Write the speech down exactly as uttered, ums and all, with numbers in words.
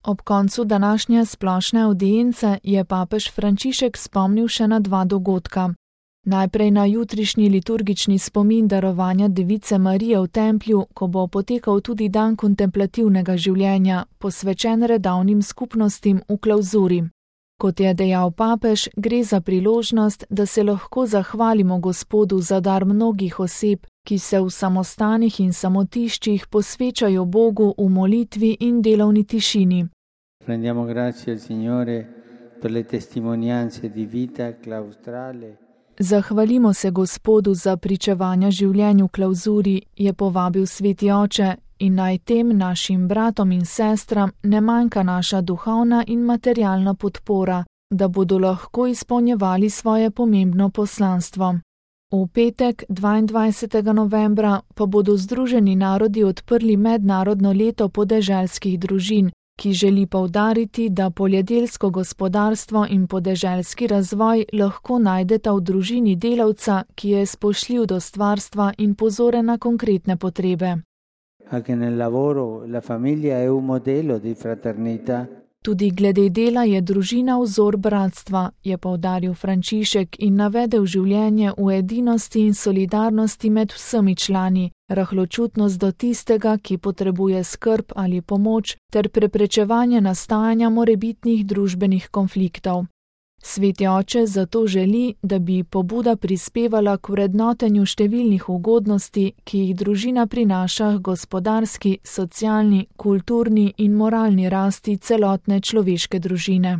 Ob koncu današnje splošne audience je papež Frančišek spomnil še na dva dogodka. Najprej na jutrišnji liturgični spomin darovanja Device Marije v templju, ko bo potekal tudi dan kontemplativnega življenja, posvečen redovnim skupnostim v klavzuri. Kot je dejal papež, gre za priložnost, da se lahko zahvalimo Gospodu za dar mnogih oseb, ki se v samostanih in samotiščih posvečajo Bogu v molitvi in delovni tišini. Rendiamo grazie al Signore per le testimonianze di vita claustrale. Zahvalimo se Gospodu za pričevanja življenju v klavzuri, je povabil sveti oče, in naj tem našim bratom in sestram ne manjka naša duhovna in materialna podpora, da bodo lahko izpolnjevali svoje pomembno poslanstvo. V petek, dvaindvajsetega novembra, pa bodo Združeni narodi odprli mednarodno leto podeželskih družin, ki želi poudariti, da poljedelsko gospodarstvo in podeželski razvoj lahko najdeta v družini delavca, ki je spoštljiv do stvarstva in pozoren na konkretne potrebe. Anche nel lavoro la famiglia è un modello di fraternità. Tudi glede dela je družina vzor bratstva, je poudaril Frančišek in navedel življenje v edinosti in solidarnosti med vsemi člani, rahločutnost do tistega, ki potrebuje skrb ali pomoč, ter preprečevanje nastajanja morebitnih družbenih konfliktov. Sveti oče zato želi, da bi pobuda prispevala k vrednotenju številnih ugodnosti, ki jih družina prinaša k gospodarski, socialni, kulturni in moralni rasti celotne človeške družine.